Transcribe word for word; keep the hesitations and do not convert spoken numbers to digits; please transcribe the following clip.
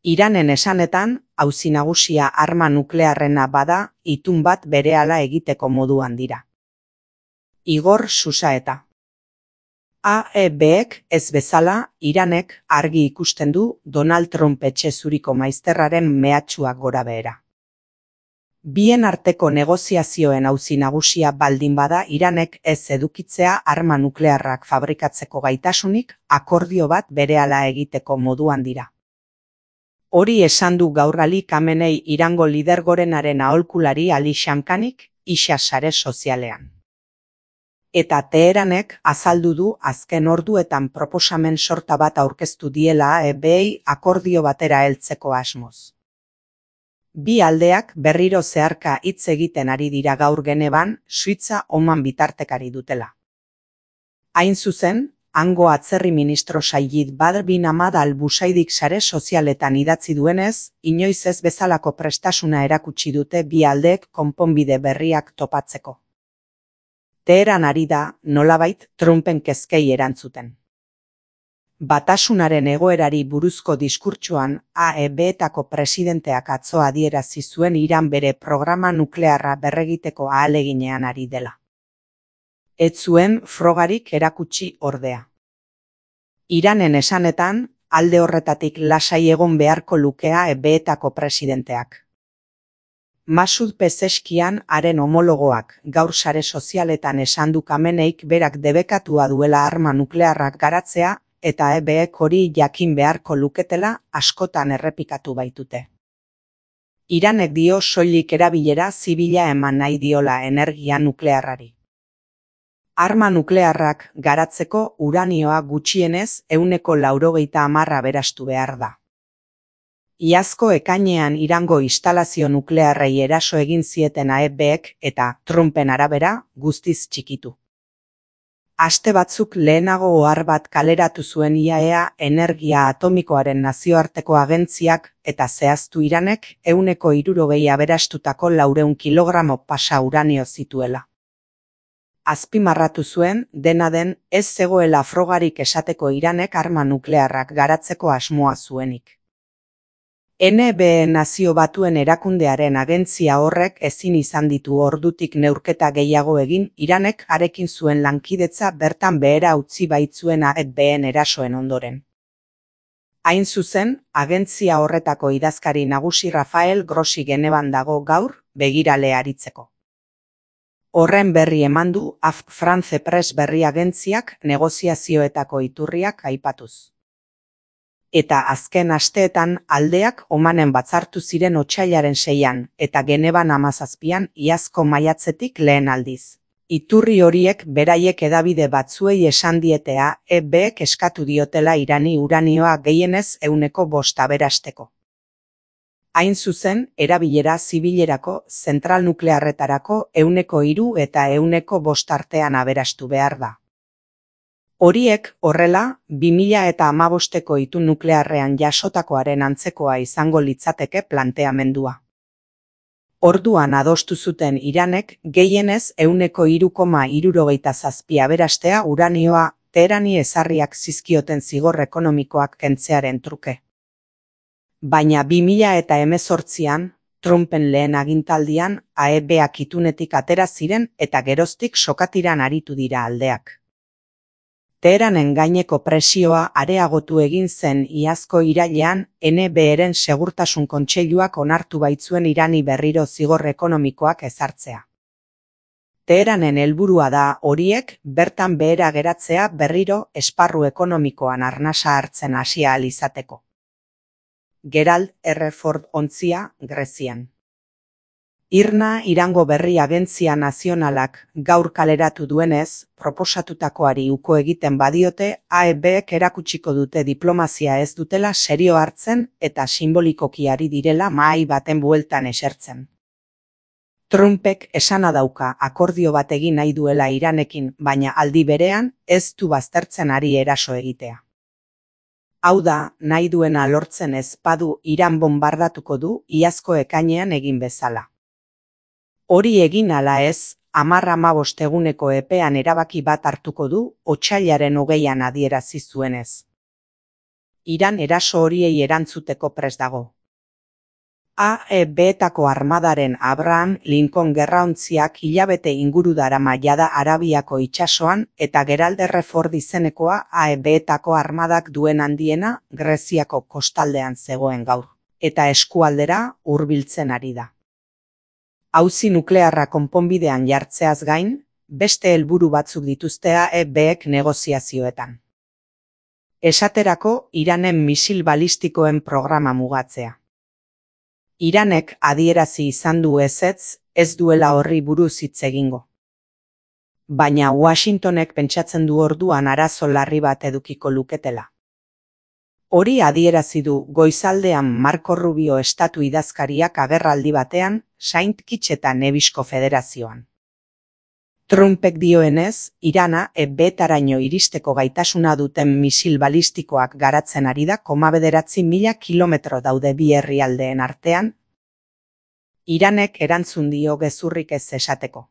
Iranen esanetan, auzi nagusia arma nuklearrena bada, itun bat berehala egiteko moduan dira. Igor Xusaeta. A E Bek ez bezala, Iranek argi ikusten du Donald Trump etxe zuriko maizterraren mehatxuak gorabehera. Bien arteko negoziazioen auzi nagusia baldin bada Iranek ez edukitzea arma nuklearrak fabrikatzeko gaitasunik, akordio bat berehala egiteko moduan dira. Hori esan du gaur Ali Khamenei Irango lidergorenaren aholkulari Ali Shamkhanik, Ixa sare sozialean. Eta Teheranek azaldu du azken orduetan proposamen sorta bat aurkeztu diela A E Bei akordio batera heltzeko asmoz. Bi aldeak berriro zeharka hitz egiten ari dira gaur Genevan, Suitza Oman bitartekari dutela. Hain zuzen, hango atzerri ministro Sayyid Badr bin Ahmad al-Busaidik sare sozialetan idatzi duenez, inoiz ez bezalako prestasuna erakutsi dute bi aldeek konponbide berriak topatzeko. Teheran ari da, nolabait, Trumpen kezkei erantzuten. Batasunaren egoerari buruzko diskurtsoan A E Betako presidenteak atzo adierazi zuen Iran bere programa nuklearra berregiteko ahaleginean ari dela. Ez zuen frogarik erakutsi ordea. Iranen esanetan, alde horretatik lasai egon beharko luke A E Betako presidenteak. Masud Pezeskian haren homologoak gaur sare sozialetan esan du Khameneik berak debekatua duela arma nuklearrak garatzea, eta A E Bek hori jakin beharko luketela askotan errepikatu baitute. Iranek dio soilik erabilera zibila eman nahi diola energia nuklearrari. Arma nuklearrak garatzeko uranioa gutxienez ehuneko laurogeita hamarra aberastu behar da. Iazko ekainean Irango instalazio nuklearrei eraso egin zieten A E Bek eta Trumpen arabera guztiz txikitu. Aste batzuk lehenago ohar bat kaleratu zuen I A E A energia atomikoaren nazioarteko agentziak eta zehaztu Iranek ehuneko hirurogei aberastutako laurehun kilogramo pasa uranio zituela. Azpimarratu zuen, dena den, ez zegoela frogarik esateko Iranek arma nuklearrak garatzeko asmoa zuenik. N B E Nazio Batuen erakundearen agentzia horrek ezin izan ditu ordutik neurketa gehiago egin Iranek harekin zuen lankidetza bertan behera utzi baitzuen A E Been erasoen ondoren. Hain zuzen, agentzia horretako idazkari nagusi Rafael Grossi Genevan dago gaur, begirale aritzeko. Horren berri eman du A F France Press berri agentziak negoziazioetako iturriak aipatuz. Eta azken asteetan aldeak Omanen batzartu ziren otsailaren seian eta Genevan hamazazpian iazko maiatzetik lehen aldiz. Iturri horiek beraiek hedabide batzuei esan diete A E Bek eskatu diotela Irani uranioa gehienez ehuneko bost aberasteko. Hain zuzen, erabilera zibilerako, zentral nuklearretarako ehuneko hiru eta ehuneko bost artean aberastu behar da. Horiek, horrela, bi mila eta hamabosteko itun nuklearrean jasotakoaren antzekoa izango litzateke planteamendua. Orduan adostu zuten Iranek gehienez ehuneko hiru koma hirurogeita zazpi aberastea uranioa Teherani ezarriak zizkioten zigor ekonomikoak kentzearen truke. Baina bi mila eta hemezortzian, Trumpen lehen agintaldian A E Bak itunetik atera ziren eta geroztik sokatiran aritu dira aldeak. Teheranen gaineko presioa areagotu egin zen iazko irailean N B Eren segurtasun kontseiluak onartu baitzuen Irani berriro zigor ekonomikoak ezartzea. Teheranen helburua da horiek bertan behera geratzea berriro esparru ekonomikoan arnasa hartzen hasi ahal izateko. Gerald R. Ford ontzia, Grezian. Irna Irango Berri Agentzia Nazionalak gaur kaleratu duenez, proposatutakoari uko egiten badiote, A E Bek erakutsiko dute diplomazia ez dutela serio hartzen eta simbolikoki ari direla mahai baten bueltan esertzen. Trumpek esana dauka akordio bat egin nahi duela Iranekin, baina aldi berean ez du baztertzen ari eraso egitea. Hau da, nahi duena lortzen ez badu Iran bombardatuko du iazko ekainean egin bezala. Hori egin ala ez, hamar hamabost eguneko epean erabaki bat hartuko du otsailaren hogeian adierazi zuenez. Iran eraso horiei erantzuteko prest dago. A E B-etako armadaren Abraham Lincoln gerraontziak hilabete inguru darama jada Arabiako itsasoan eta Geralderre Ford izenekoa A E B-etako armadak duen handiena Greziako kostaldean zegoen gaur, eta eskualdera hurbiltzen ari da. Auzi nuklearra konponbidean jartzeaz gain, beste helburu batzuk dituzte A E B-ek negoziazioetan. Esaterako, Iranen misil balistikoen programa mugatzea. Iranek adierazi izan du ezetz, ez duela horri buruz hitz egingo. Baina Washingtonek pentsatzen du orduan arazo larri bat edukiko luketela. Hori adierazi du goizaldean Marco Rubio estatu idazkariak agerraldi batean Saint Kitts eta Nevisko Federazioan. Trumpek dioenez, Irana E B-etaraino iristeko gaitasuna duten misil balistikoak garatzen ari da koma bederatzi mila kilometro daude bi herrialdeen artean. Iranek erantzun dio gezurrik ez esateko.